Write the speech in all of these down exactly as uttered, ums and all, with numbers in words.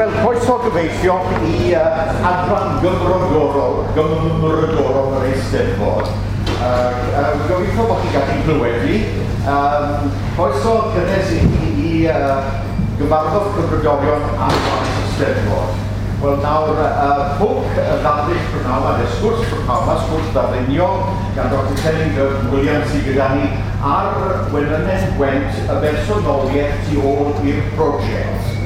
Wel, croeso gyfeillion i uh, adran gymrodorol, gymrodorol yr Eisteddfod. Uh, uh, gobeithio bod chi'n gallu clywed fi. Um, croeso cynnes i chi i uh, gyfarfod cymrodorion ar faes y Eisteddfod. Wel, nawr, uh, pwnc y ddarlith prynhawn yma, neu sgwrs prynhawn yma, sgwrs ddarlunio gan Doctor Celyn Gurton Williams sydd gyda ni ar Wenynen Gwent, y bersonoliaeth tu ôl i'r prosiect.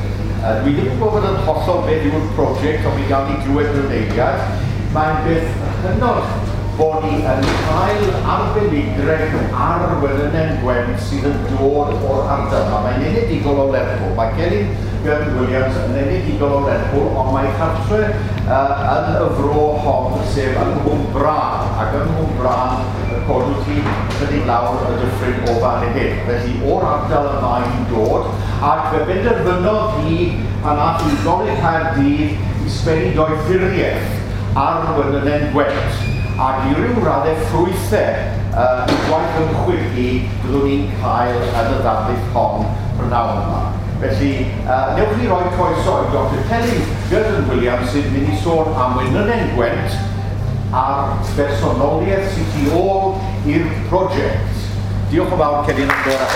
Uh, dwi ddim yn gwybod yn hollol beth yw'r prosiect, ond mi gawn ni glywed mewn eiliad. Mae'n beth hynod bod ni yn cael arbenigredd ar Wenynen Gwent sydd yn dod o'r ardal yma. Mae'n enedigol o Lerpwl. Mae Celyn Gurton Williams yn enedigol o Lerpwl, ond mae chartre uh, yn y fro hon, sef yng Nghwmbrân. Ac yng Nghwmbrân y codwyd hi chydig lawr y dyffryn o fan hyn. Felly o'r ardal y mae'n dod, ac fe benderfynodd hi pan ath i Goleg Caerdydd i sgwennu doethuriaeth ar Wenynen Gwent. Ac i ryw raddau ffrwythau uh, i gwaith ymchwil hi byddwn ni'n cael yn y ddarlith hon prynhawn yma. Felly, uh, newch chi roi croeso i Doctor Celyn Gurton Williams sydd mynd i sôn am Wenynen Gwent a'r bersonoliaeth sydd tu ôl i'r prosiect. Diolch yn fawr, Celyn, am dod â.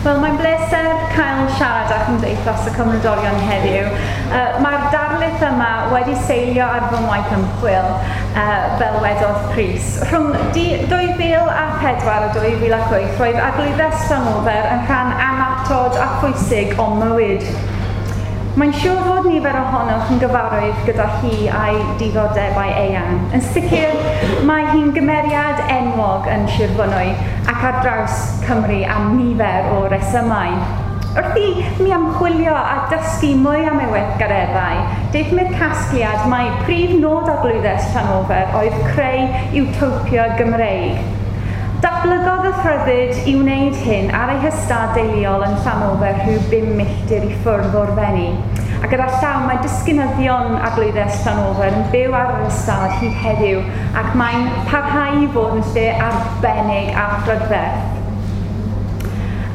Wel, mae'n bleser cael siarad â Chymdeithas y Cymrodorion heddiw. Uh, Mae'r darlith yma wedi seilio ar fy ngwaith ymchwil, uh, fel wedodd Prys. Rhwng dwy fil a pedwar a dwy fil ac wyth, roedd Arglwyddes Llanofer yn rhan annatod a phwysig o'm mywyd. Mae'n siŵr fod nifer ohonoch yn gyfarwydd gyda hi a'i diddordebau eang. Yn sicr, mae hi'n gymeriad enwog yn Sir Fynwy ac ar draws Cymru am nifer o resymau. Wrth i mi ymchwilio a dysgu mwy am ei weithgareddau, daethum i'r casgliad mai prif nod Arglwyddes Llanofer oedd creu utopia Gymreig. Datblygodd y rhyddid i wneud hyn ar ei hystad deuluol yn Llanofer rhyw bum milltir i ffwrdd o'r Fenni. A gyda llaw mae disgynyddion Arglwyddes Llanofer yn byw ar yr ystad hyd heddiw ac mae'n parhau i fod yn lle arbennig a phrydferth.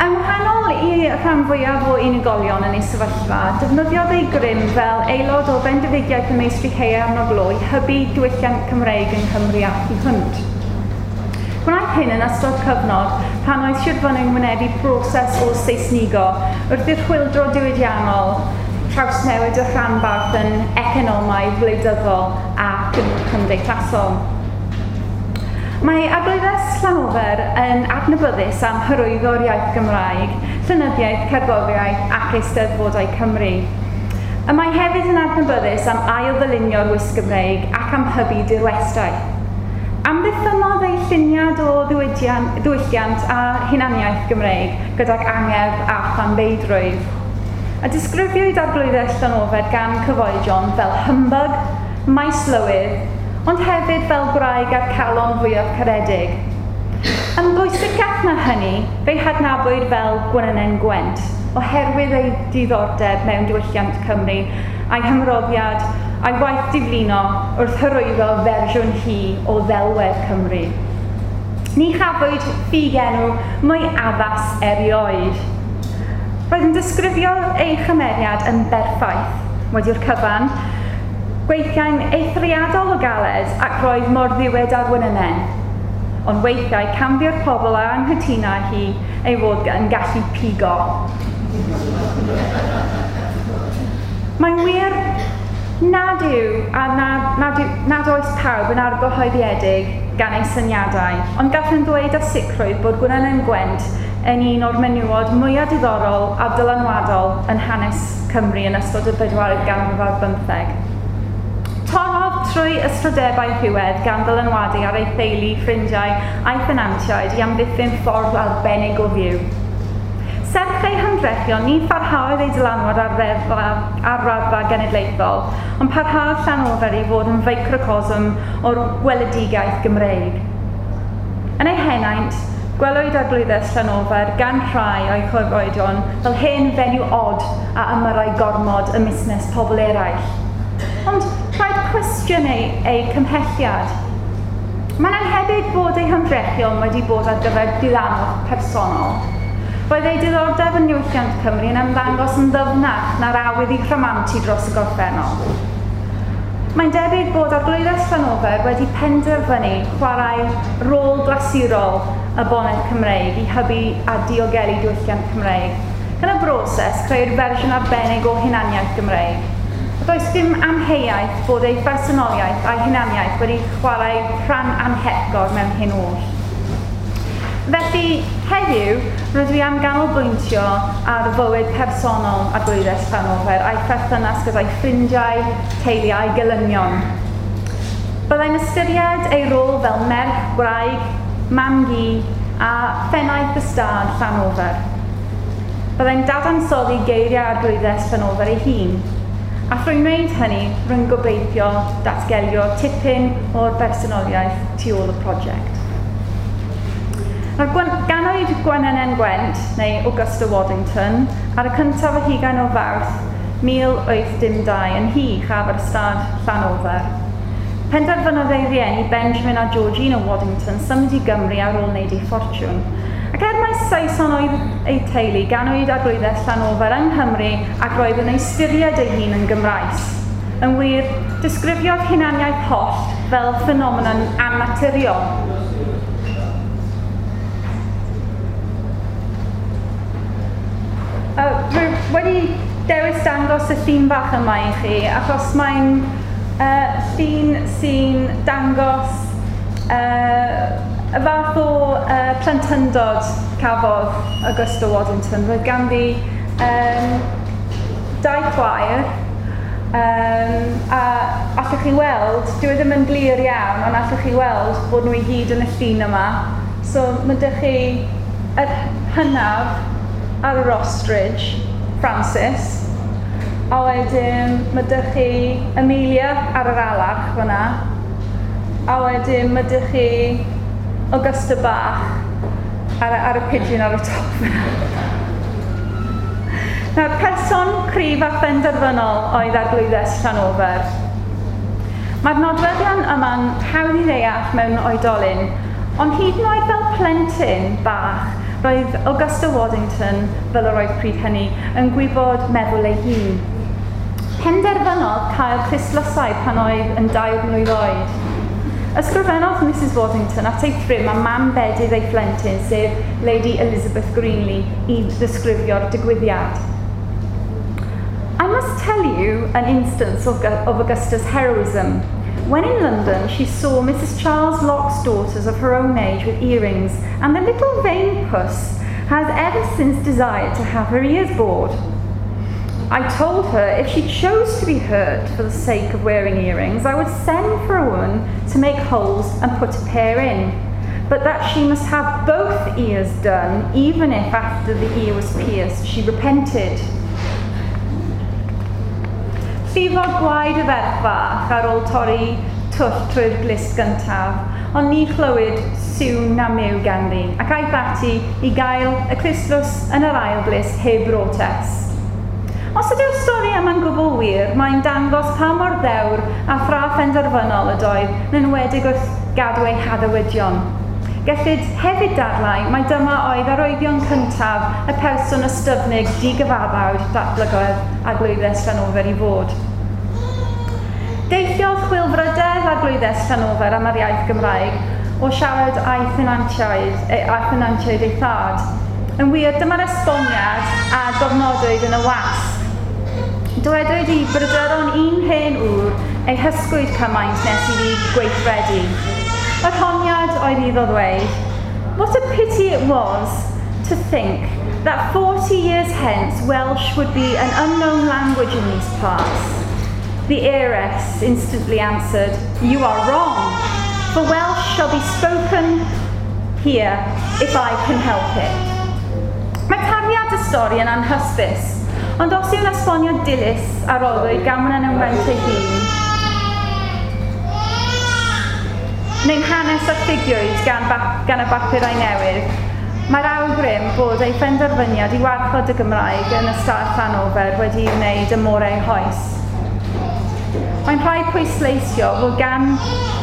Yn wahanol i rhan fwyaf o unigolion yn ei sefyllfa, defnyddiodd ei grym fel aelod o bendefigiaeth y Meistri Haearn o Glo i hybu diwylliant Cymreig yng Nghymru a thu hwnt. Gwnaeth hyn yn ystod cyfnod pan oedd Sir Fynwy'n wynebu broses o Seisnigo wrth i'r chwyldro diwydiannol trawsnewid y rhanbarth yn economaidd, wleidyddol ac yn cymdeithasol. Mae Arglwyddes Llanofer yn adnabyddus am hyrwyddo'r iaith Gymraeg, llenyddiaeth, cerddoriaeth ac eisteddfodau Cymru. Y mae hefyd yn adnabyddus am ail-ddylunio'r wisg Gymreig ac am hybu dirwestau. Amddiffynnodd ei lluniad o ddiwylliant a hunaniaeth Gymreig gydag angerdd a thanbeidrwydd. A disgrifiwyd Arglwyddes Llanofer gan cyfoedion fel humbug, maeslywydd, ond hefyd fel gwraig a'r calon fwyaf caredig. Yn bwysicach na hynny, fe'i hadnabwyd fel Gwenynen Gwent, oherwydd ei diddordeb mewn diwylliant Cymru a'i hymroddiad a'i waith diflino wrth hyrwyddo fersiwn hi o ddelwedd Cymru. Ni chafwyd ffugenw mwy addas erioed. Roedd yn disgrifio ei chymeriad yn berffaith, wedi'r cyfan, gweithiau'n eithriadol o galed ac roedd mor ddiwyd ar Wenynen. Ond weithiau canfu'r pobl a anghytuna hi ei fod yn gallu pigo. Mae'n wir nad yw a nad, nad, yw, nad oes pawb yn argyhoeddiedig gan ei syniadau, ond gallwn ddweud â sicrwydd bod Gwenynen Gwent yn un o'r menywod mwyaf diddorol a dylanwadol yn hanes Cymru yn ystod y bedwaredd ganrif ar bymtheg. Torrodd trwy ystrydebau rhywedd gan ddylanwadu ar ei theulu, ffrindiau a'i thenantiaid i amddiffyn ffordd arbennig o fyw. Serch ei hymdrechion, ni pharhaodd ei dylanwad ar, ddeddfa, ar raddfa genedlaethol, ond parhaodd Llanofer i fod yn feicrocosm o'r gweledigaeth Gymreig. Yn ei henaint, gwelwyd Arglwyddes Llanofer gan rhai o'i chyfoedion fel hen fenyw od a ymyrrai gormod ym musnes pobl eraill. Ond rhaid cwestiynu ei, ei cymhelliad. Mae'n annhebyg bod ei hymdrechion wedi bod ar gyfer diddanwch personol. Roedd ei diddordeb yn niwylliant Cymru yn ymddangos yn ddyfnach na'r awydd i rhamantu dros y gorffennol. Mae'n debyg bod Arglwyddes Llanofer wedi penderfynu chwarae rôl glasurol y bonedd Cymreig i hybu a diogelu diwylliant Cymreig. Gan y broses creu'r fersiwn arbennig o hunaniaeth Gymreig. A does dim amheuaeth bod ei phersonoliaeth a'i hunaniaeth wedi chwarae rhan anhepgor mewn hyn oll. Felly, heddiw, rydw i am ganolbwyntio ar fywyd personol Arglwyddes Llanofer a'i pherthynas gyda'i ffrindiau, teulu a'i gelynion. Byddai'n ystyried ei rôl fel merch, gwraig, mam-gu a phennaeth ystâd Llanofer. Byddai'n dadansoddi geiriau Arglwyddes Llanofer ei hun, a thrwy wneud hynny, rwy'n gobeithio datgelio tipyn o'r bersonoliaeth tu ôl y prosiect. Nawr, ganwyd Gwenenen Gwent, neu Augusta Waddington, ar y cyntaf o hugain o Fawrth mil wyth dim dau yn nhŷ uchaf ar ystâd Llanofer. Penderfynodd ei rieni Benjamin a Georgina Waddington symud i Gymru ar ôl wneud ei ffortiwn. Ac er mai Saeson oedd ei teulu, ganwyd Arglwyddes Llanofer yng Nghymru ac roedd yn ystyried ei hun yn Gymraes. Yn wir, disgrifiodd hunaniaeth hollt fel ffenomenon annaturiol. Uh, rwy wedi dewis dangos y llun bach yma i chi, achos mae'n uh, llun sy'n dangos uh, y fath o uh, plentyndod cafodd Augusta Waddington. Roedd ganddi um, dau chwaer, um, a allwch chi weld, dyw e ddim yn glir iawn, ond allwch chi weld bod nhw i gyd yn y llun yma. So mae dych chi yr hynaf ar yr ostrich, Francis, a wedyn mae dych chi Amelia ar yr alarch fyna, a wedyn mae dych chi Augusta bach ar, ar y pigeon ar y top fyna. Nawr, person cryf a phenderfynol oedd Arglwyddes Llanofer. Mae'r nodweddion yma'n hawdd i ddeall mewn oedolyn, ond hyd yn oed fel plentyn bach, roedd Augusta Waddington, fel yr oedd pryd hynny, yn gwybod meddwl ei hun. Penderfynodd cael clustdlysau pan oedd yn dair mlwydd oed. Ysgrifennodd Missus Waddington at ei thrym a mam bedydd ei phlentyn, sef Lady Elizabeth Greenlee, i ddisgrifio'r digwyddiad. I must tell you an instance of, of Augusta's heroism. When in London, she saw Missus Charles Locke's daughters of her own age with earrings, and the little vain puss has ever since desired to have her ears bored. I told her if she chose to be hurt for the sake of wearing earrings, I would send for a woman to make holes and put a pair in, but that she must have both ears done, even if after the ear was pierced she repented. Llifodd gwaed y ferch fach ar ôl torri twll trwy'r glust gyntaf, ond ni chlywyd sŵn na myw ganddi, ac aeth ati i gael y clustdlws yn yr ail glust heb brotest. Os ydyw'r stori yma'n gwbl wir, mae'n dangos pa mor ddewr a thra phenderfynol ydoedd, yn enwedig wrth gadw ei haddewidion. Gellid hefyd dadlau mai dyma oedd arwyddion cyntaf y person ystyfnig digyfaddawd datblygodd Arglwyddes Llanofer i fod. Deilliodd chwilfrydedd Arglwyddes Llanofer am yr iaith Gymraeg o siarad a'i thenantiaid, a thenantiaid ei thad. Yn wir, dyma'r esboniad a gofnodwyd yn y wasg. Dywedwyd i bryderon un hen ŵr ei hysgwyd cymaint nes iddi gweithredu. Yr honiad oedd iddo ddweud, what a pity it was to think that forty years hence Welsh would be an unknown language in these parts. The heiress instantly answered, you are wrong, for Welsh shall be spoken here if I can help it. Mae tarddiad y stori yn anhysbys, ond os yw'n esbonio dilys a roddwyd gan yn ymwneud ei hun, neu'n hanes a ffugiwyd gan, gan y bapurau newydd, mae'r awgrym bod ei phenderfyniad i warchod y Gymraeg yn ystâd Llanofer wedi'i wneud ym môr ei hoes. Mae'n rhaid pwysleisio fod gan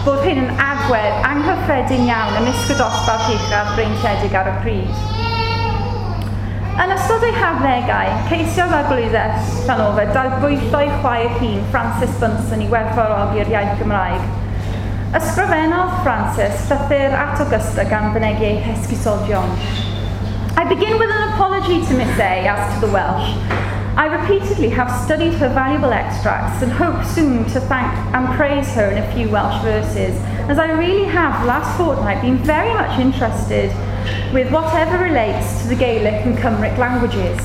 bod hyn yn agwedd anghyffredin iawn ymysg y dosbarth uchaf breintiedig ar y pryd. Yn ystod ei harddegau, ceisiodd Arglwyddes Llanofer darbwyllo'i chwaer hun Frances Bunsen i werthfawrogi'r iaith Gymraeg. Ysgrifennodd Frances llythyr at Augusta gan fynegi ei hesgusodion. I begin with an apology to Miss A as to the Welsh. I repeatedly have studied her valuable extracts and hope soon to thank and praise her in a few Welsh verses, as I really have last fortnight been very much interested with whatever relates to the Gaelic and Cymric languages.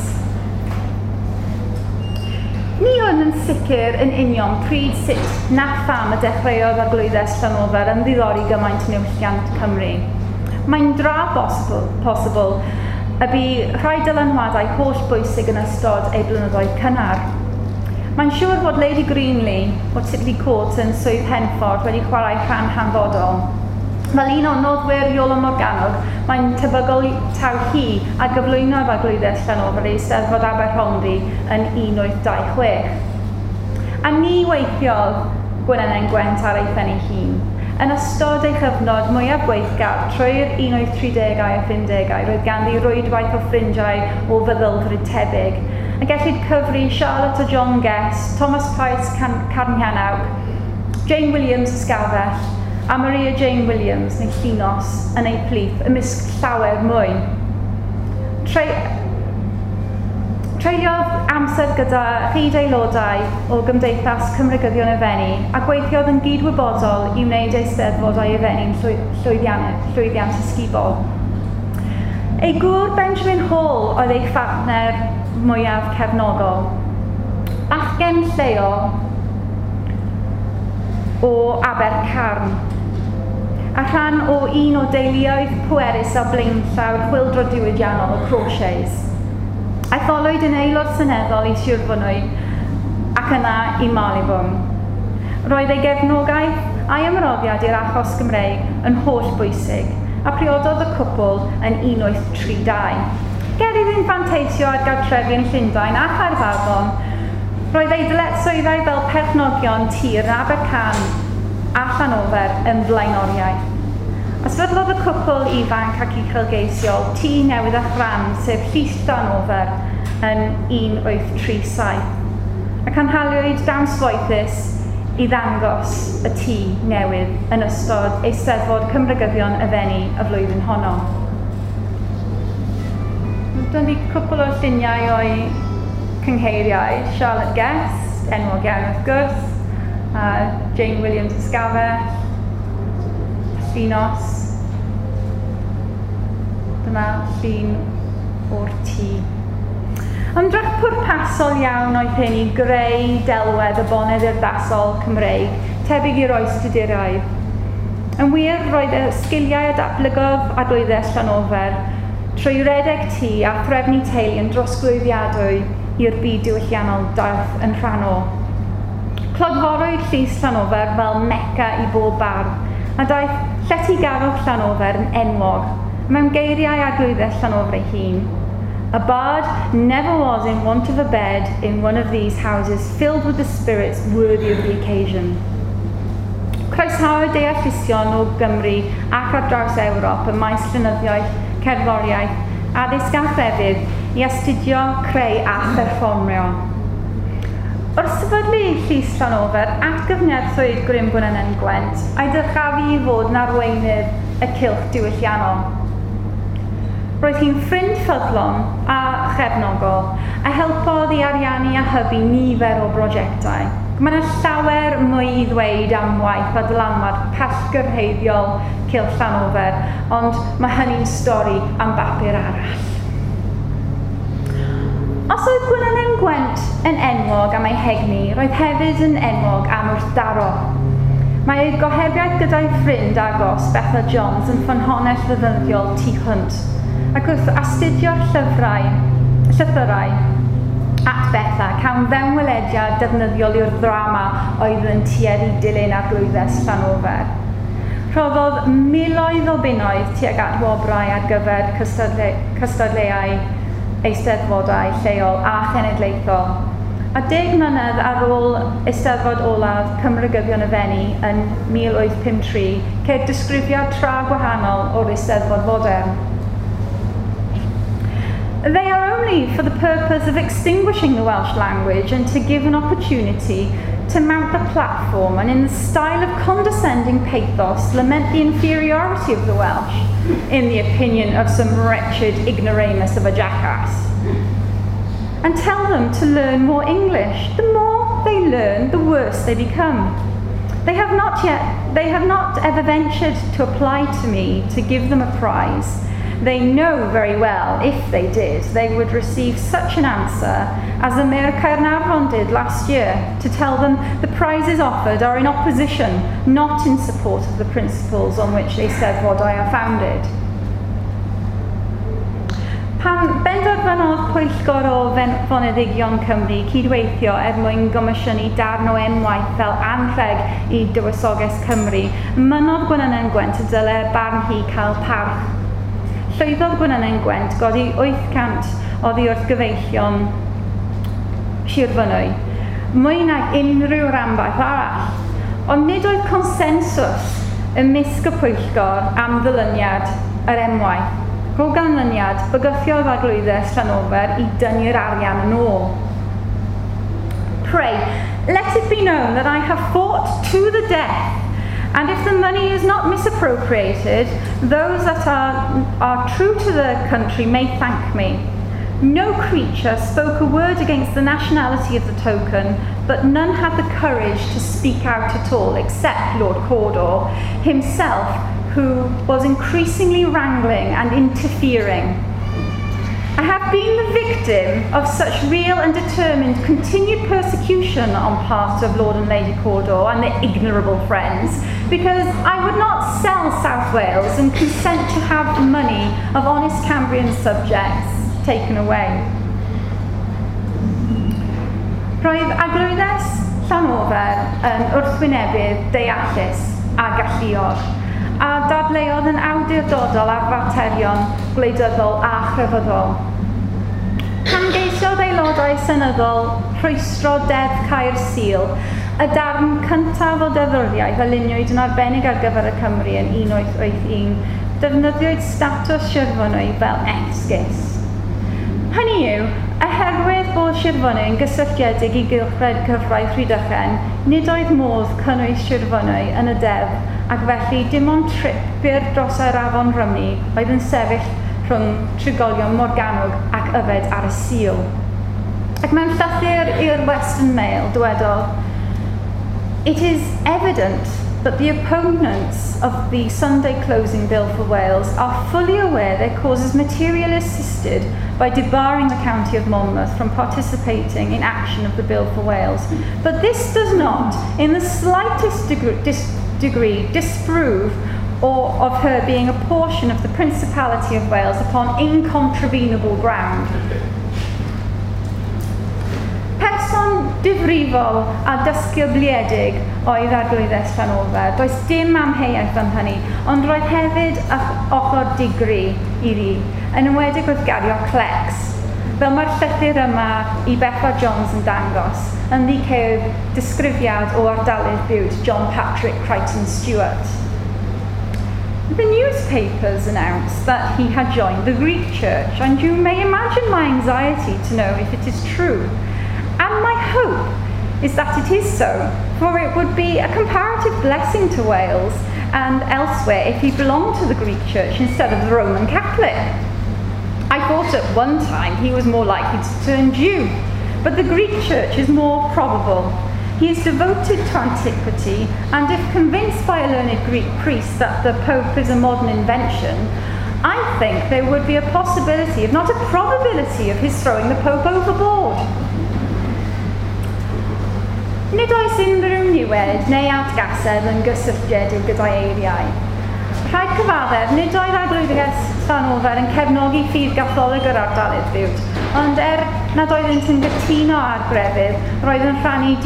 Ni wn yn sicr yn union pryd, sut na pham y dechreuodd Arglwyddes Llanofer ymddiddori gymaint yn niwylliant Cymru. Mae'n dra bosibl, posibl y bu rhai dylanwadau holl bwysig yn ystod ei blynyddoedd cynnar. Mae'n siŵr fod Lady Greenley o Titley Court yn Swydd Henffordd wedi chwarae rhan hanfodol. Fel un o noddwyr Iolo Morganwg, mae'n tebygol taw hi a gyflwynodd Arglwyddes Llanofer i Eisteddfod Aberhonddu yn un wyth dau chwech. A ni weithiodd Gwenwynwyn Gwent ar ei phen ei hun. Yn ystod ei chyfnod mwyaf gweithgar trwy'r un wyth tridegau a phumdegau, roedd ganddi rwydwaith o ffrindiau o feddylfryd tebyg, a gellid cyfri Charlotte a John Guest, Thomas Price Carnhuanawc, Jane Williams Ysgafell, a Maria Jane Williams neu Llinos yn ei plith ymysg llawer mwy. Tre Treuliodd amser gyda chyd-aelodau o Gymdeithas Cymreigyddion y Fenni a gweithiodd yn gydwybodol i wneud eisteddfodau y Fenni'n llwyddiant, llwyddiant ysgubol. Ei gŵr Benjamin Hall oedd ei phartner mwyaf cefnogol. Bachgen lleol o Abercarn, a rhan o un o deuluoedd pwerus a blaenllaw'r chwyldro diwydiannol y Crawshays. Etholwyd yn aelod seneddol i Sir Fynwy ac yna i Marylebone. Roedd ei gefnogaeth a'i ymroddiad i'r achos Gymreig yn holl bwysig, a priododd y cwpl yn un wyth tri dau. Ger iddynt fanteisio ar gartrefi yn Llundain a Chaerfaddon, roedd ei dyletswyddau fel perchnogion tir yn Abercarn a Llanofer yn flaenoriaeth. A sefydlodd y cwpl ifanc ac uchelgeisiol tŷ newydd a chrand, sef Llys Llanofer, yn un wyth tri saith, a cynhaliwyd dawns foethus i ddangos y tŷ newydd yn ystod Eisteddfod Cymreigyddion y Fenni y flwyddyn honno. Dyna ni cwpl o lluniau o'i cyngheiriaid, Charlotte Guest, enwog iawn wrth gwrs, a Jane Williams Ysgafell, Llinos. Dyma llun o'r tŷ. Ymdrech pwrpasol iawn oedd hyn i greu delwedd y bonedd urddasol Cymreig, tebyg i'r oes Tuduraidd. Yn wir, roedd y sgiliau a datblygodd Arglwyddes Llanofer trwy redeg tŷ a threfnu teulu yn drosglwyddiadwy i'r byd diwylliannol daeth yn rhan o. Clodforwyd Llys Llanofer fel Mecca i bob bardd, a daeth lletygarwch Llanofer yn enwog, mewn geiriau Arglwyddes Llanofer ei hun. A bard never was in want of a bed in one of these houses filled with the spirits worthy of the occasion. Croesawyd deallusion o Gymru ac ar draws Ewrop ym maes llenyddiaeth, cerddoriaeth, addysg a chrefydd i astudio, creu a pherfformio. Wrth sefydlu Llys Llanofer, atgyfnerthwyd grym Gwenwynwyn Gwent a'i dyrchafu i fod yn arweinydd y cylch diwylliannol. Roedd hi'n ffrind ffyddlon a chefnogol, a helpodd i ariannu a hybu nifer o brosiectau. Mae yna llawer mwy i ddweud am waith a dylanwad pellgyrhaeddiol Cylch Llanofer, ond mae hynny'n stori am bapur arall. Os oedd Gwenwynwyn Gwent yn enwog am ei hegni, roedd hefyd yn enwog am wrthdaro. Mae ei gohebiaeth gyda'i ffrind agos, Betha Jones, yn ffynhonnell ddefnyddiol tu hwnt, ac wrth astudio'r llyfrau, llythyrau at Betha, cawn fewnwelediad defnyddiol i'r ddrama oedd yn tueddu dilyn Arglwyddes Llanofer. Rhoddodd miloedd o bunnoedd tuag at wobrau ar gyfer cystadle cystadleuau eisteddfodau lleol a chenedlaethol, a A deg mlynedd ar ôl Eisteddfod olaf Cymreigyddion y Fenni yn mil wyth pum tri, ceir disgrifiad tra gwahanol o'r Eisteddfod fodern. They are only for the purpose of extinguishing the Welsh language and to give an opportunity to mount the platform and in the style of condescending pathos lament the inferiority of the Welsh, in the opinion of some wretched ignoramus of a jackass. And tell them to learn more English. The more they learn, the worse they become. They have not yet, they have not ever ventured to apply to me to give them a prize. They know very well, if they did, they would receive such an answer as the Mayor of Caernarfon did last year, to tell them the prizes offered are in opposition, not in support of the principles on which Eisteddfodau are founded. Pan benderfynodd pwyllgor o foneddigion Cymru cydweithio er mwyn gomisiynu darn o emwaith fel anrheg i Dywysoges Cymru, mynnodd Gwenwynwyn Gwent y dylai barn hi cael parch. Llwyddodd Gwenwynwyn Gwent godi wyth cant oddi wrth gyfeillion Sir Fynwy, mwy nag unrhyw ranbarth arall. Ond nid oedd consensws ymysg y pwyllgor am ddylyniad yr emwaith. O ganlyniad, bygythiodd Arglwyddes Llanofer i dynnu'r arian yn ôl. Pray, let it be known that I have fought to the death, and if the money is not misappropriated, those that are, are true to the country may thank me. No creature spoke a word against the nationality of the token, but none had the courage to speak out at all, except Lord Cawdor himself, who was increasingly wrangling and interfering. I have been the victim of such real and determined continued persecution on part of Lord and Lady Cawdor and their ignorable friends, because I would not sell South Wales and consent to have the money of honest Cambrian subjects taken away. Roedd Arglwyddes Llanofer yn wrthwynebydd deallus a galluog, a dadleuodd yn awdurdodol ar faterion gwleidyddol a chrefyddol. Pan geisiodd aelodau seneddol rhwystro Deddf Cau'r Sul, y darn cyntaf o deddfwriaeth a luniwyd yn arbennig ar gyfer y Cymru yn un wyth wyth un, defnyddiwyd statws Sir Fynwy fel esgus. Hynny yw, oherwydd bod Sir Fynwy yn gysylltiedig i gylchred cyfraith Rhydychen, nid oedd modd cynnwys Sir Fynwy yn y deddf, ac felly dim ond trip byr dros yr afon Rhymni oedd yn sefyll rhwng trigolion Morgannwg ac yfed ar y Sul. Ac mewn llythyr i'r Western Mail dywedodd, It is evident that the opponents of the Sunday closing bill for Wales are fully aware their cause is materially assisted by debarring the county of Monmouth from participating in action of the bill for Wales. But this does not, in the slightest degree, dis degree disprove or of her being a portion of the Principality of Wales upon incontrovertible ground. Person difrifol a dysgybliedig oedd Arglwyddes Llanofer. Does dim amheuaeth am hynny, ond roedd hefyd ochr digri iddi, yn enwedig wrth gario clecs. Fel mae'r llythyr yma i Betha Jones yn dangos, ynddi ceir disgrifiad o ardalydd bywyd John Patrick Crichton Stewart. The newspapers announced that he had joined the Greek Church, and you may imagine my anxiety to know if it is true. And my hope is that it is so, for it would be a comparative blessing to Wales and elsewhere if he belonged to the Greek Church instead of the Roman Catholic. I thought at one time he was more likely to turn Jew, but the Greek Church is more probable. He is devoted to antiquity, and if convinced by a learned Greek priest that the Pope is a modern invention, I think there would be a possibility, if not a probability, of his throwing the Pope overboard. Nid oes unrhyw niwed neu atgasedd yn gysylltiedig gyda'i eiriau. Rhaid cyfaddef, nid oedd Arglwyddes Llanofer yn cefnogi ffydd Gatholig yr ardalydd biwt, ond er nad oeddynt yn gytuno ar grefydd, roedd yn rhannu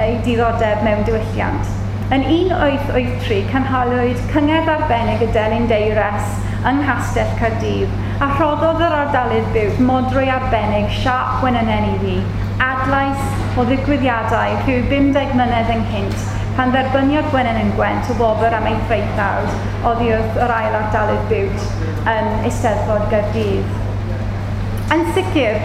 ei diddordeb mewn diwylliant. Yn un wyth wyth tri cynhaliwyd cyngerdd arbennig y Delyn Deires yng Nghastell Caerdydd, a rhoddodd yr ardalydd biwt modrwy arbennig siâp gwenynen iddi, adlais o ddigwyddiadau rhyw bum deg mlynedd ynghynt pan dderbyniodd Gwennan Gwent y wobr am ei thraethawd oddi wrth yr ail ardalydd Bute yn Eisteddfod Gaerdydd. Yn sicr,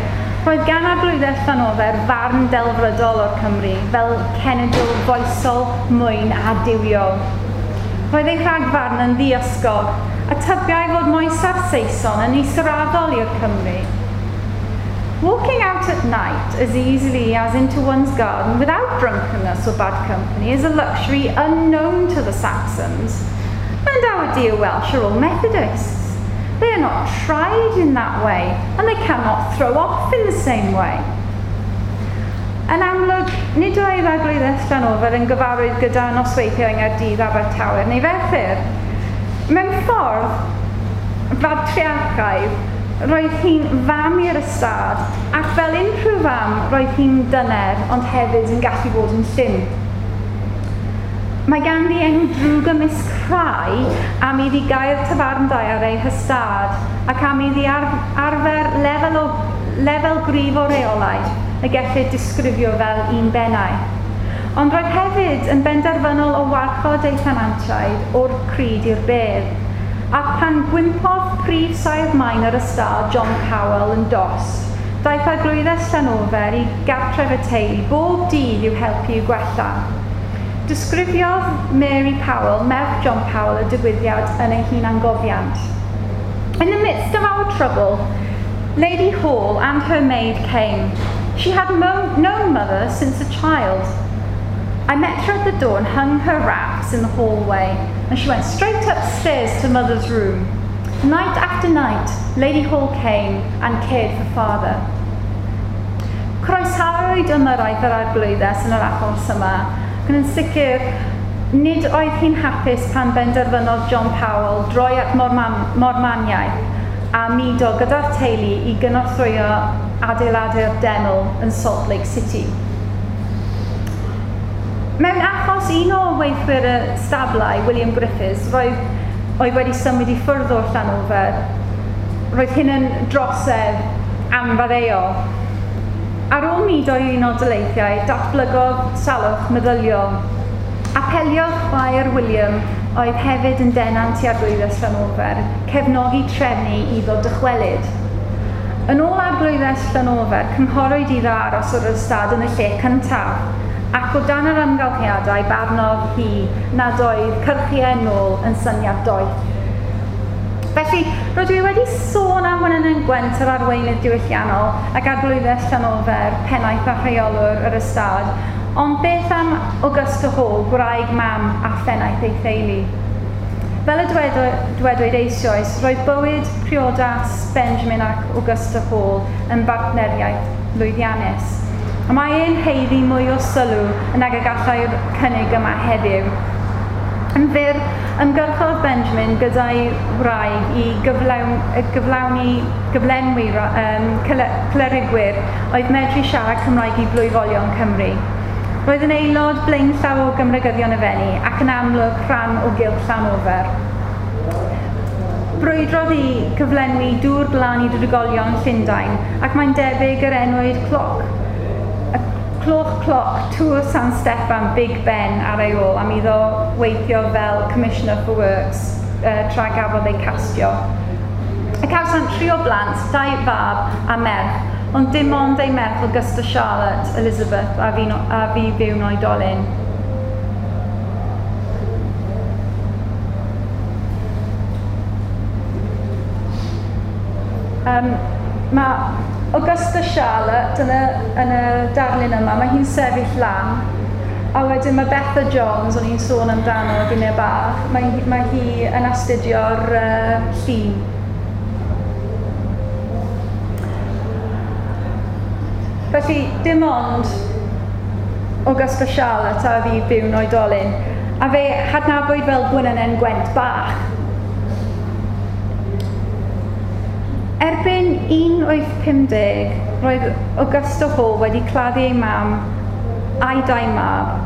roedd gan Arglwyddes Llanofer farn delfrydol o'r Cymry fel cenedl foesol, mwyn a duwiol. Roedd ei rhagfarn yn ddiysgog a tybiai fod moesau'r Saeson yn israddol i'r Cymry. "Walking out at night as easily as into one's garden without drunkenness or bad company is a luxury unknown to the Saxons. And our dear Welsh are all Methodists. They are not tried in that way, and they cannot throw off in the same way." Yn amlwg, nid oedd Arglwyddes Llanofer yn gyfarwydd gyda nosweithiau yng Nghaerdydd, Abertawe neu Ferthyr. Mewn ffordd fatriarchaidd, roedd hi'n fam i'r ystâd, ac fel unrhyw fam, roedd hi'n dyner, ond hefyd yn gallu bod yn llym. Mae ganddi enw drwg ymysg rhai am iddi gau'r tafarndai ar ei hystâd ac am iddi arfer lefel, o, lefel gryf o reolaeth y gellir disgrifio fel un bennau. Ond roedd hefyd yn benderfynol o warchod ei thenantiaid o'r cryd i'r bedd. Ac pan gwympodd prif saer maen yr ystâd John Powell yn dost, daeth Arglwyddes Llanofer i gartref y teulu bob dydd i'w helpu i'w gwella. Disgrifiodd Mary Powell, merch John Powell, y digwyddiad yn ei hunangofiant. "In the midst of our trouble, Lady Hall and her maid came. She had known mother since a child. I met her at the door and hung her wraps in the hallway, and she went straight upstairs to mother's room. Night after night, Lady Hall came and cared for father." Croesawyd ymyrraeth yr arglwyddes yn yr achos yma, ac yn sicr, nid oedd hi'n hapus pan benderfynodd John Powell droi at Mormaniaeth a mudo gyda'r teulu i gynorthwyo adeiladu'r deml yn Salt Lake City. Mewn achos un o weithwyr y stablau, William Griffiths, roedd, oedd wedi symud i ffwrdd o'r Llanofer, roedd hyn yn drosedd anfaddeuol. Ar ôl mudo i Unol Daleithiau, datblygodd salwch meddyliol. Apeliodd chwaer William, oedd hefyd yn denant i Arglwyddes Llanofer, cefnogi trefnu iddo dychwelyd. Yn ôl Arglwyddes Llanofer, cynghorwyd iddo aros o'r ystâd yn y lle cyntaf, ac o dan yr amgylchiadau barnodd hi nad oedd cyrchu yn ôl yn syniad doeth. Felly, rydw i wedi sôn am Wenynen Gwent, yr arweinydd diwylliannol, ac Arglwyddes Llanofer, pennaeth a rheolwr yr ystâd, ond beth am Augusta Hall, gwraig, mam a phennaeth ei theulu? Fel y dwedwyd eisoes, roedd bywyd priodas Benjamin ac Augusta Hall yn bartneriaeth lwyddiannus. A mae e'n haeddu mwy o sylw nag y gallai'r cynnig yma heddiw. Yn fyr, ymgyrchodd Benjamin gyda'i wraig i gyflawn, gyflawni, gyflenwi um, clerigwyr oedd medru siarad Cymraeg i blwyfolion Cymru. Roedd yn aelod blaenllaw o Gymreigyddion y Fenni ac yn amlwg rhan o gylch Llanofer. Brwydrodd i gyflenwi dŵr glân i drigolion Llundain ac mae'n debyg yr enwyd cloc cloch cloc Tŵr San Steffan Big Ben ar ei ôl am iddo weithio fel Commissioner for Works uh, tra gafodd ei castio. Y cawsant tri o blant, dau fab a merch, ond dim ond ei merch Augusta Charlotte Elizabeth a fu, a fu fyw'n oedolyn. Um, mae Augusta Charlotte yn y, yn y darlun yma, mae hi'n sefyll lan. A wedyn mae Betha Jones, o'n i'n sôn amdano gynnau bach, mae, mae hi yn astudio'r uh, llun. Felly, dim ond Augusta Charlotte a fu fyw'n oedolyn, a fe hadnabwyd fel Gwenynen Gwent bach. Erbyn un wyth pum deg, roedd Augusta Hall wedi claddu ei mam a'i dau mab.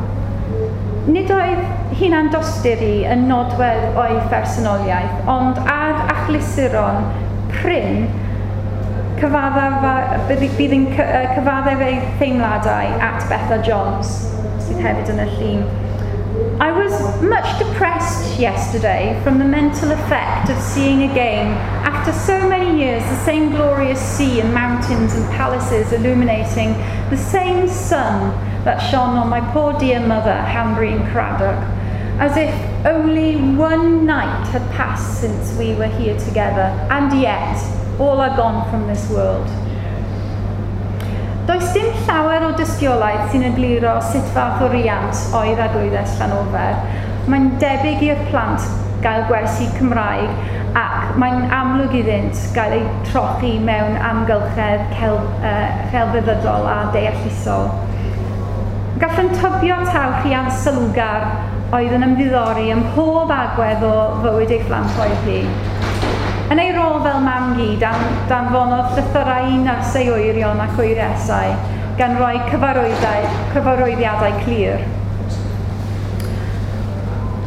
Nid oedd hunan dosturi yn nodwedd o'i phersonoliaeth, ond ar achlysuron prin, Cyfaddef, bydd yn cyfaddef ei theimladau at Betha Jones, sydd hefyd yn y llun. I was much depressed yesterday from the mental effect of seeing again, after so many years, the same glorious sea and mountains and palaces illuminating the same sun that shone on my poor dear mother, Hanbury and Cradock, as if only one night had passed since we were here together, and yet all are gone from this world. Does dim llawer o dystiolaeth sy'n egluro sut fath o riant oedd Arglwyddes Llanofer. Mae'n debyg i'r plant gael gwersi Cymraeg ac mae'n amlwg iddynt gael eu trochi mewn amgylchedd cel, uh, celfyddydol a deallusol. Gallwn tybio taw rhiant sylwgar oedd yn ymddiddori ym mhob agwedd o fywyd ei phlant oedd hi. Yn ei rôl fel mam-gu, dan, danfonodd llythyrau i nyrs ei wyrion ac wyresau, gan roi cyfarwyddiadau clir.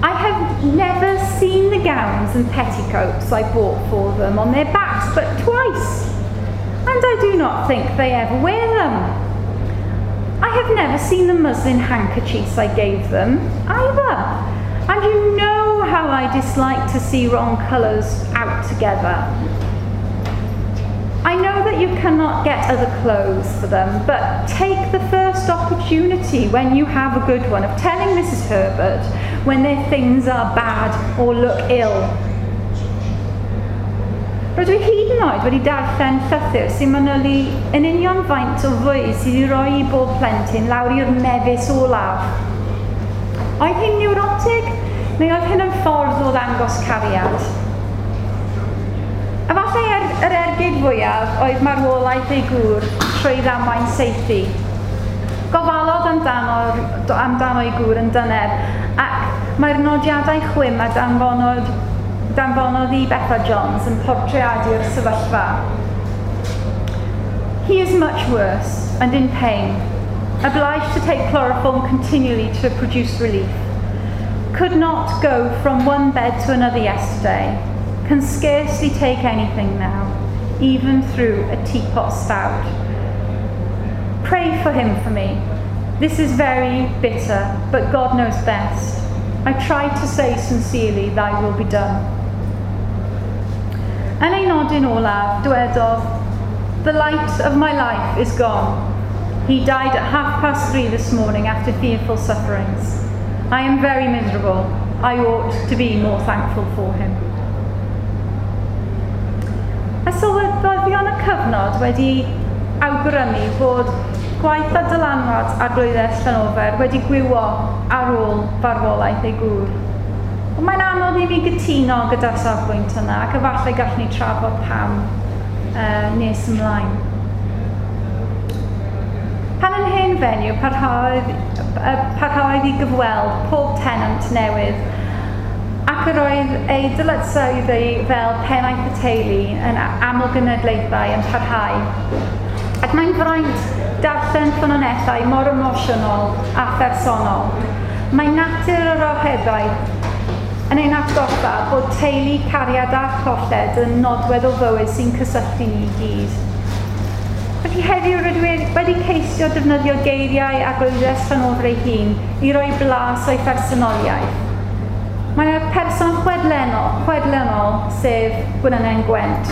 I have never seen the gowns and petticoats I bought for them on their backs but twice, and I do not think they ever wear them. I have never seen the muslin handkerchiefs I gave them either, and you know how I dislike to see wrong colours out together. I know that you cannot get other clothes for them, but take the first opportunity when you have a good one of telling Missus Herbert when their things are bad or look ill. Rydw i hyd yn oed wedi darllen llythyr sy'n manylu yn union faint o fwyd sydd i roi i bob plentyn lawr i'r mefus olaf. Oedd hi'n neurotig, neu oedd hyn yn ffordd o ddangos cariad? Efallai er, yr ergyd fwyaf oedd marwolaeth ei gŵr trwy ddamwain saethu. Gofalodd amdano, amdano ei gŵr yn dyner, ac mae'r nodiadau chwim a danfonodd, danfonodd i Betha Jones yn portreadu'r sefyllfa. He is much worse and in pain, obliged to take chloroform continually to produce relief. Could not go from one bed to another yesterday. Can scarcely take anything now, even through a teapot spout. Pray for him for me. This is very bitter, but God knows best. I try to say sincerely, thy will be done. Yn ei nodyn olaf, dywedodd, the light of my life is gone. He died at half past three this morning after fearful sufferings. I am very miserable. I ought to be more thankful for him. A sylweddolion y cyfnod wedi awgrymu bod gwaith a dylanwad Arglwyddes Llanofer wedi gwywo ar ôl farwolaeth ei gŵr. Ond mae'n anodd i mi gytuno gyda'r safbwynt yna, ac efallai gallwn ni trafod pam uh, nes ymlaen. Pan yn hen fenyw, parhaodd, parhaodd i gyfweld pob tenant newydd, ac yr oedd ei dyletswyddau fel pennaeth y teulu yn amlgenedlaethau yn parhau. Ac mae'n fraint darllen ffynonellau mor emosiynol a phersonol. Mae natur yr ohebaeth yn ein atgoffa bod teulu, cariad a cholled yn nodwedd o fywyd sy'n cysylltu ni i gyd. Felly heddiw rydw i wedi ceisio defnyddio geiriau Arglwyddes Llanofer ei hun i roi blas o'i phersonoliaeth. Mae yna person chwedlenol, chwedlenol, sef Gwenwynwyn Gwent.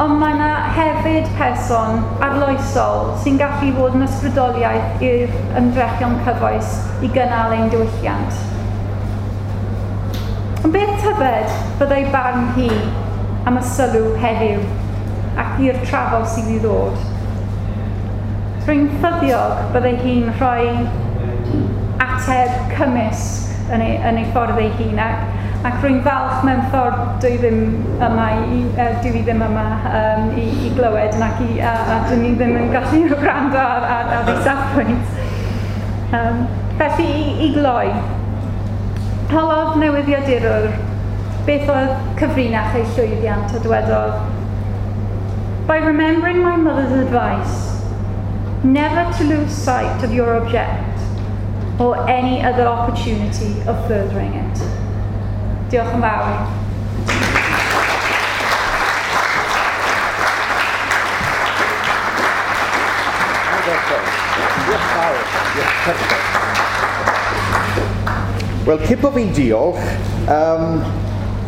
Ond mae yna hefyd person arloesol sy'n gallu fod yn ysbrydoliaeth i'r ymdrechion cyfoes i gynnal ein diwylliant. Ond beth tybed byddai barn hi am y sylw heddiw ac i'r trafod sydd i ddod? Rwy'n ffyddiog byddai hi'n rhoi ateb cymysg yn ei, yn ei ffordd ei hun, ac, ac rwy'n falch mewn ffordd dwi ddim yma i, uh, dwi ddim yma um, i, i glywed ac i, a, a dwi ni ddim yn gallu gwrando ar, ar, ar ei safbwynt. Um, felly i, i gloi, holodd newyddiadurwr beth oedd cyfrinach ei llwyddiant a dywedodd, by remembering my mother's advice, never to lose sight of your object or any other opportunity of furthering it. Diolch yn fawr. Diolch fawr. Wel, cyn bo fi'n diolch um,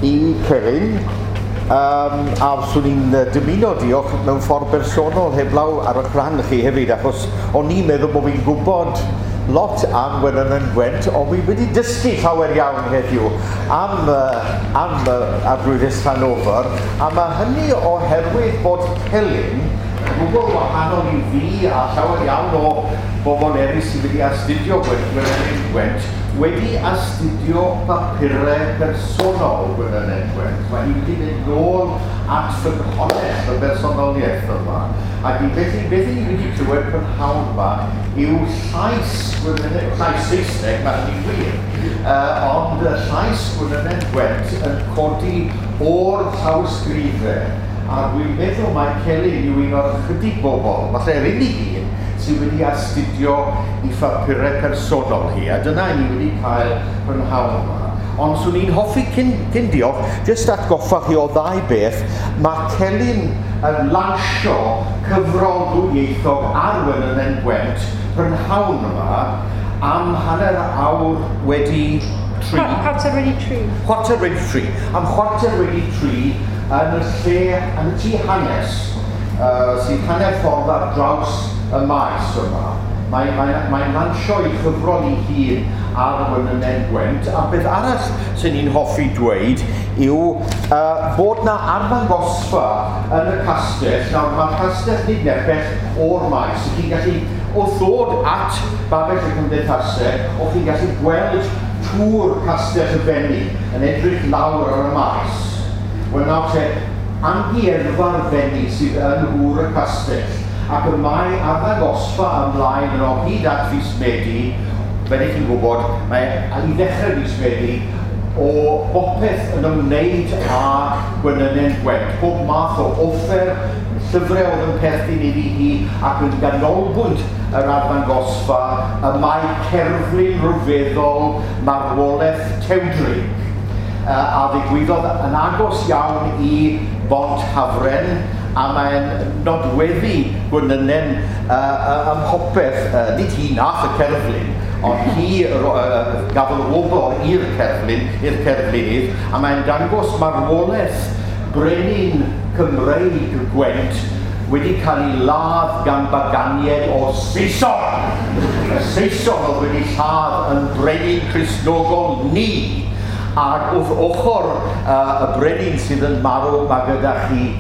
i Celyn, um, a swn i'n dymuno diolch mewn ffordd bersonol heblaw ar eich rhan chi hefyd, achos o'n i'n meddwl bod fi'n gwybod lot am Gwenynen Gwent, ond fi wedi dysgu llawer iawn heddiw am, uh, am uh, Arglwyddes Llanofer, a mae hynny oherwydd bod Celyn gwbl wahanol i fi a llawer iawn o bobl eraill sydd wedi astudio Gwenynen Gwent, wedi astudio papurau personol Gwenynen Gwent. Mae hi wedi mynd nôl at ffynhonnell y bersonoliaeth yma. Ac i felly, beth ni wedi clywed prynhawn yma yw llais Gwenynen, llais Saesneg, mae hynny'n wir, uh, ond llais Gwenynen Gwent yn codi o'r llawysgrifau. A dwi'n meddwl mai Celyn yw un o'r ychydig bobl, falle yr unig un, sydd wedi astudio i phapurau personol hi, a dyna ni wedi cael prynhawn yma. Ond swn i'n hoffi cyn, cyn diolch, jyst atgoffa chi o ddau beth, mae Celyn yn lansio cyfrol ddwyieithog ar Wenynen Gwent prynhawn yma am hanner awr wedi tri. Chwarter wedi tri. Chwarter wedi tri. Am chwarter wedi tri yn y lle, yn y tŷ hanes, uh, sydd hanner ffordd ar draws y maes yma. Mae'n mae, mae lansio ei chyfrol ei hun ar Wenynen Gwent, a beth arall sy'n ni'n hoffi dweud yw uh, bod na arddangosfa yn y castell. Nawr, mae'r castell nid nepell o'r maes. Chi'n gallu, wrth ddod at Babell y Cymdeithasau, o'ch chi'n gallu gweld tŵr Castell y Fenni yn edrych lawr ar y maes. Wel nawr te, amgueddfa'r Fenni sydd yn nhŵr y castell, ac y mae arddangosfa ymlaen yn o hyd at fis Medi, fel ych chi'n gwybod, mae i ddechrau fis Medi, o bopeth yn ymwneud â Gwenynen Gwent. Pob math o offer, llyfrau oedd yn perthyn iddi hi, ac yn ganolbwynt yr arddangosfa, y mae cerflun rhyfeddol marwolaeth Tewdrig, a ddigwyddodd yn agos iawn i Bont Hafren, a mae'n nodweddu Gwenynen uh, uh, ym mhopeth, uh, nid hi nath y cerflun, ond hi uh, gafodd wobr i'r cerflun, i'r cerflunydd, a mae'n dangos marwolaeth brenin Cymreig Gwent wedi cael ei ladd gan baganiaid o Saeson. Y Saeson oedd wedi lladd yn brenin Cristnogol ni. Ac wrth ochr uh, y brenin sydd yn marw, mae gyda chi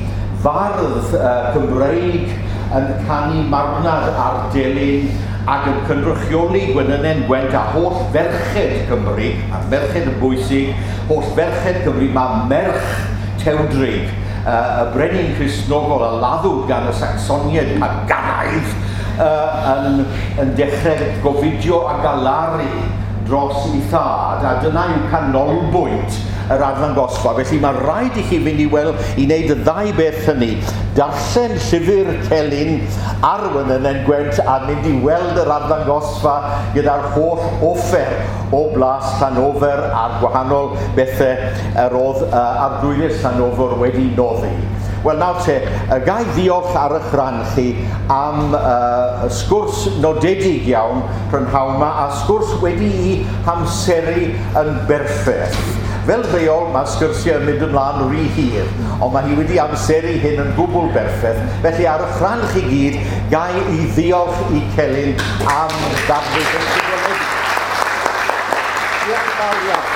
fardd uh, Cymreig yn canu marwnad ar delyn ac yn cynrychioli Gwenynen Gwent a holl ferched Cymru, a merched yn bwysig, holl ferched Cymru, mae merch Tewdrig, uh, y brenin Cristnogol a laddwyd gan y Sacsoniaid paganaidd, uh, yn, yn dechrau gofidio a galaru dros ei thad, a dyna yw canolbwynt yr arddangosfa. Felly mae rhaid i chi fynd i weld i wneud y ddau beth hynny. Darllen llyfr Celyn ar Wenynen Gwent a mynd i weld yr arddangosfa gyda'r holl offer o Blas Llanofer a'r gwahanol bethau yr oedd uh, Arglwyddes Llanofer wedi noddi. Wel nawr te, ga i ddiolch ar eich rhan chi am uh, sgwrs nodedig iawn prynhawn yma, a sgwrs wedi'i hamseru yn berffaith. Fel rheol, mae sgyrsiau yn mynd ymlaen rhy hir, ond mae hi wedi amseru hyn yn gwbl berffaith. Felly ar eich rhan chi gyd, ga i ddiolch i Celyn am ddarlith yn gwbl. Diolch yn fawr iawn.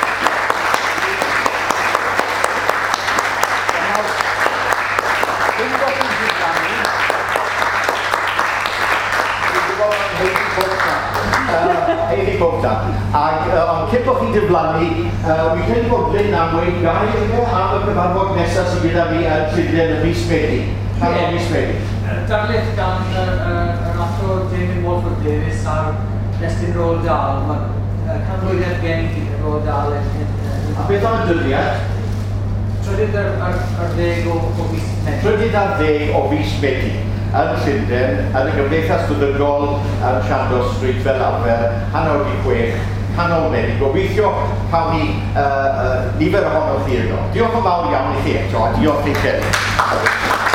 Ac uh, ond cyn bod chi'n diflannu, uh, wi'n credu bod Glyn am weud gair iddo am y cyfarfod nesaf sydd gyda fi yn Llundain y mis Medi. Canol mis Medi. Darlith gan yr athro Damien Walford Davies ar destun Roald Dahl. Mae canmlwyddiant gen i Roald Dahl. A beth am y dyddiad? Trydydd ar, ar, ar ddeg o, o fis Medi. Trydydd ar ddeg o fis Medi yn Llundain, yn y Gymdeithas Feddygol yn Chandos Street fel arfer, hanner wedi chwech, canol Medi. Gobeithio cawn ni uh, uh, nifer ohonoch chi yno. Diolch yn fawr iawn i chi eto, a diolch i chi.